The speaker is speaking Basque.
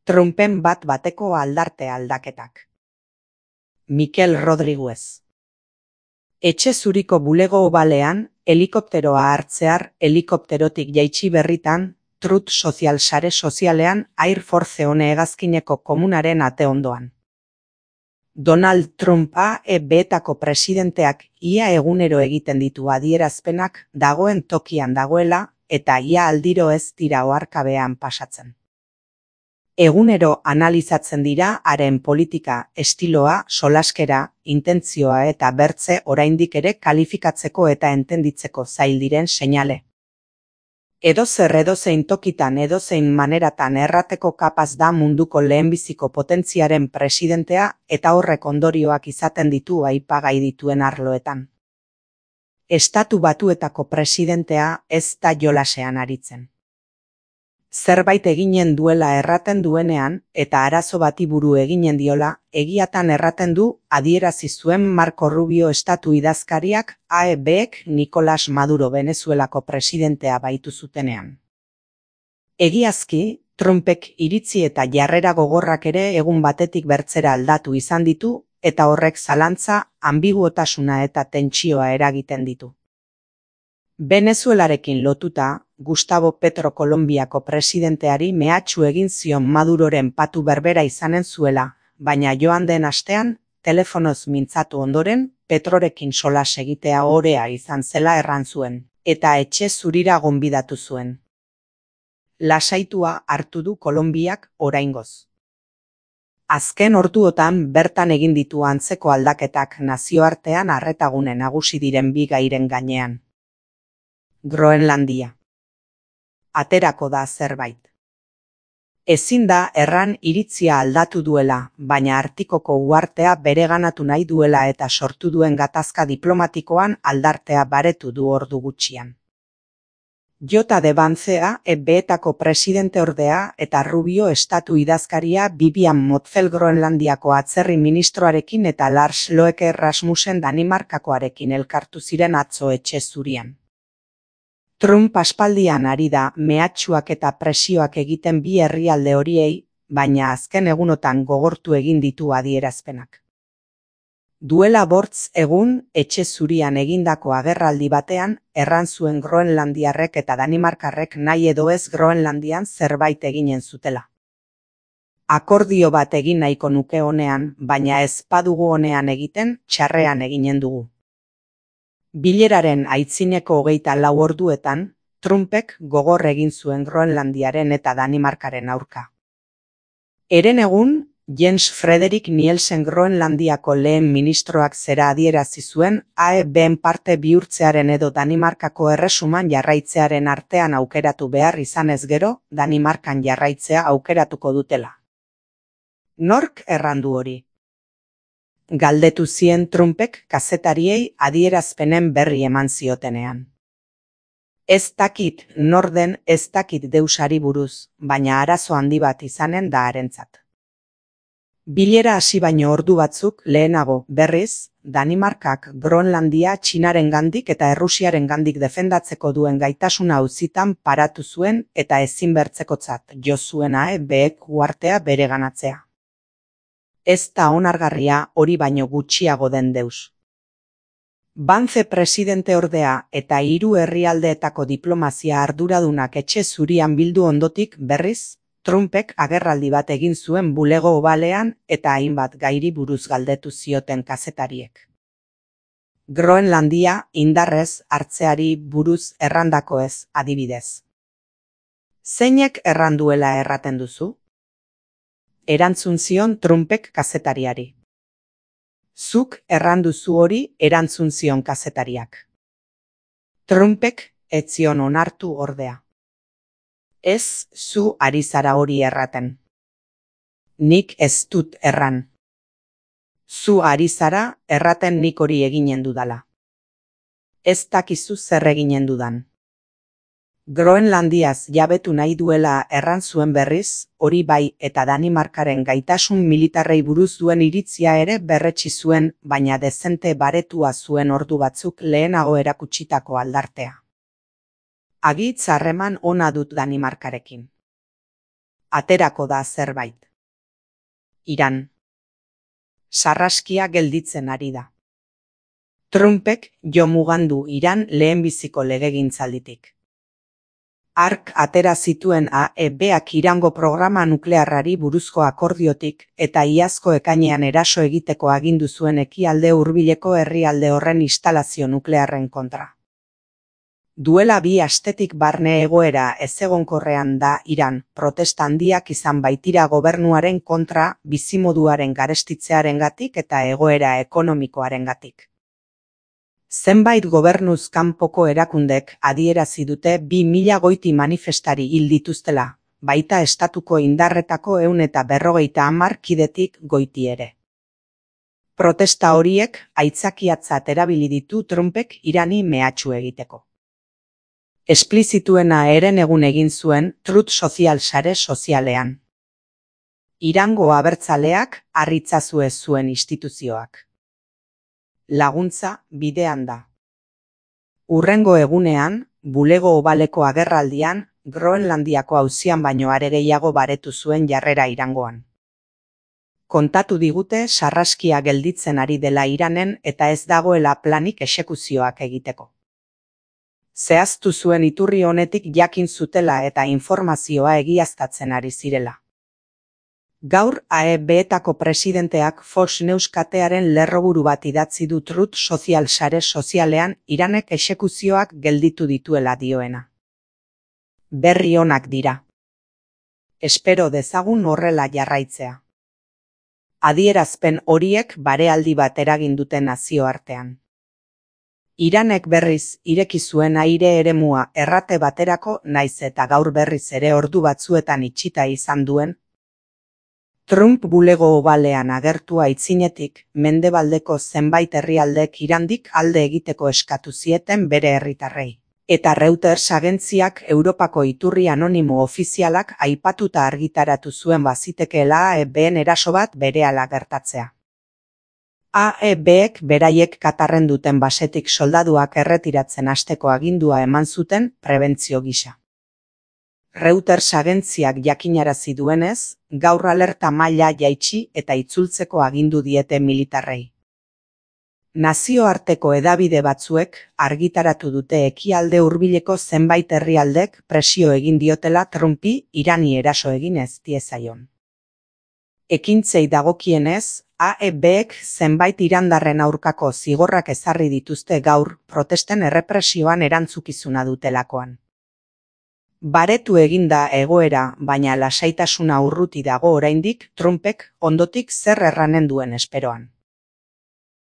Trumpen bat-bateko aldarte aldaketak. Mikel Rodriguez. Etxe zuriko bulego obalean, helikopteroa hartzear helikopterotik jaitsi berritan, Truth Social sare sozialean Air Force One hegazkineko komunaren ate ondoan. Donald Trump AEB-etako presidenteak ia egunero egiten ditu adierazpenak dagoen tokian dagoela eta ia aldiro ez dira oharkabean pasatzen. Egunero analizatzen dira haren politika, estiloa, solaskera, intentzioa eta bertze oraindik ere kalifikatzeko eta entenditzeko zail diren seinale. Edozein tokitan edozein maneratan errateko kapaz da munduko lehenbiziko potentziaren presidentea eta horrek ondorioak izaten ditu aipagai dituen arloetan. Estatu Batuetako presidentea ez da jolasean aritzen. Zerbait eginen duela erraten duenean eta arazo bati buru eginen diola, egiatan erraten du adierazi zuen Marco Rubio estatu idazkariak AEB-ek Nicolás Maduro Venezuelako presidentea baitu zutenean. Egiazki, Trumpek iritzi eta jarrera gogorrak ere egun batetik bertzera aldatu izan ditu eta horrek zalantza, ambiguotasuna eta tentsioa eragiten ditu. Venezuelarekin lotuta, Gustavo Petro Kolonbiako presidenteari mehatxu egin zion Maduroren patu berbera izanen zuela, baina joan den astean, telefonoz mintzatu ondoren, Petrorekin solas egitea orea izan zela erran zuen, eta etxe zurira gonbidatu zuen. Lasaitua hartu du Kolonbiak oraingoz. Azken orduotan bertan egin ditu antzeko aldaketak nazioartean arretagune nagusi diren bi gairen gainean. Groenlandia. Aterako da zerbait. Ezin da erran iritzia aldatu duela, baina Artikoko uhartea bereganatu nahi duela eta sortu duen gatazka diplomatikoan aldartea baretu du ordu gutxian. J. de Vance AEB-etako presidente ordea eta Rubio estatu idazkaria Vivian Motzfeldt Groenlandiako atzerri ministroarekin eta Lars Løkke Rasmussen Danimarkakoarekin elkartu ziren atzo etxe zurian. Trump aspaldian ari da mehatxuak eta presioak egiten bi herrialde horiei, baina azken egunotan gogortu egin ditu adierazpenak. Duela 5 egun etxe zurian egindako agerraldi batean, erran zuen Groenlandiarrek eta Danimarkarrek nahi edo ez Groenlandian zerbait eginen zutela. Akordio bat egin nahiko nuke honean, baina ez badugu honean egiten, txarrean eginen dugu. Bileraren aitzineko 24 orduetan, Trumpek gogor egin zuen Groenlandiaren eta Danimarkaren aurka. Herenegun, Jens Frederik Nielsen Groenlandiako lehen ministroak zera adierazi zuen AEB-en parte bihurtzearen edo Danimarkako erresuman jarraitzearen artean aukeratu behar izanez gero, Danimarkan jarraitzea aukeratuko dutela. Nork errandu hori? Galdetu zien Trumpek kazetariei adierazpenen berri eman ziotenean. Ez dakit norden ez dakit deusari buruz, baina arazo handi bat izanen da harentzat. Bilera hasi baino ordu batzuk lehenago berriz, Danimarkak Groenlandia Txinarengandik eta Errusiarengandik defendatzeko duen gaitasuna auzitan paratu zuen eta ezinbertzekotzat jo zuen AEB-ek uhartea bereganatzea. Ez da onargarria hori baino gutxiago den deus. Vance presidente ordea eta 3 herrialdeetako diplomazia arduradunak etxe zurian bildu ondotik berriz, Trumpek agerraldi bat egin zuen bulego obalean eta hainbat gairi buruz galdetu zioten kazetariek. Groenlandia indarrez hartzeari buruz errandako ez, adibidez. Zeinek erranduela erraten duzu? Erantzun zion Trumpek kazetariari. Zuk erranduzu hori erantzun zion kazetariak. Trumpek ez zion onartu ordea. Ez zu ari zara hori erraten. Nik ez dut erran. Zu ari zara erraten nik hori eginen dudala. Ez dakizu zer eginen dudan. Groenlandiaz jabetu nahi duela erran zuen berriz, hori bai eta Danimarkaren gaitasun militarrei buruz duen iritzia ere berretsi zuen, baina dezente baretua zuen ordu batzuk lehenago erakutsitako aldartea. Agitz harreman ona dut Danimarkarekin. Aterako da zerbait. Iran. Sarraskia gelditzen ari da. Trumpek jo mugandu Iran lehenbiziko legegintzalditik. Hark atera zituen AEBak Irango programa nuklearrari buruzko akordiotik eta iazko ekainean eraso egiteko agindu zuen ekialde hurbileko herrialde horren instalazio nuklearren kontra. Duela 2 astetik barne egoera ezegonkorrean da Iran, protesta handiak izan baitira gobernuaren kontra bizimoduaren garestitzearengatik eta egoera ekonomikoarengatik. Zenbait gobernuz kanpoko erakundek adierazi dute 2000 goiti manifestari hil dituztela, baita estatuko indarretako 150 kidetik goiti ere. Protesta horiek aitzakiatzat erabili ditu Trumpek Irani mehatxu egiteko. Esplizituena herenegun egin zuen Truth Social sare sozialean. Irango abertzaleak harritzazue zuen instituzioak. Laguntza bidean da. Hurrengo egunean, bulego obaleko agerraldian, Groenlandiako auzian baino are gehiago baretu zuen jarrera Irangoan. Kontatu digute sarraskia gelditzen ari dela Iranen eta ez dagoela planik exekuzioak egiteko. Zehaztu zuen iturri honetik jakin zutela eta informazioa egiaztatzen ari zirela. Gaur AEBetako presidenteak Fox News katearen lerroburu bat idatzi du Truth Social sare sozialean Iranek exekuzioak gelditu dituela dioena. Berri onak dira. Espero dezagun horrela jarraitzea. Adierazpen horiek barealdi bat eragin dute nazioartean. Iranek berriz ireki zuen aire eremua errate baterako naiz eta gaur berriz ere ordu batzuetan itxita izan duen. Trump bulego obalean agertua aitzinetik, mendebaldeko zenbait herrialdek Irandik alde egiteko eskatu zieten bere herritarrei. Eta Reuters agentziak Europako iturri anonimo ofizialak aipatuta argitaratu zuen bazitekeela AEBen eraso bat berehala gertatzea. AEBek beraiek Katarren duten basetik soldaduak erretiratzen hasteko agindua eman zuten prebentzio gisa. Reuters agentziak jakinarazi duenez, gaur alerta maila jaitsi eta itzultzeko agindu diete militarrei. Nazioarteko hedabide batzuek argitaratu dute ekialde hurbileko zenbait herrialdek presio egin diotela Trumpi Irani eraso egin ez diezaion. Ekintzei dagokienez, AEBek zenbait irandarren aurkako zigorrak ezarri dituzte gaur protesten errepresioan erantzukizuna dutelakoan. Baretu eginda egoera, baina lasaitasuna urruti dago oraindik Trumpek ondotik zer erranen duen esperoan.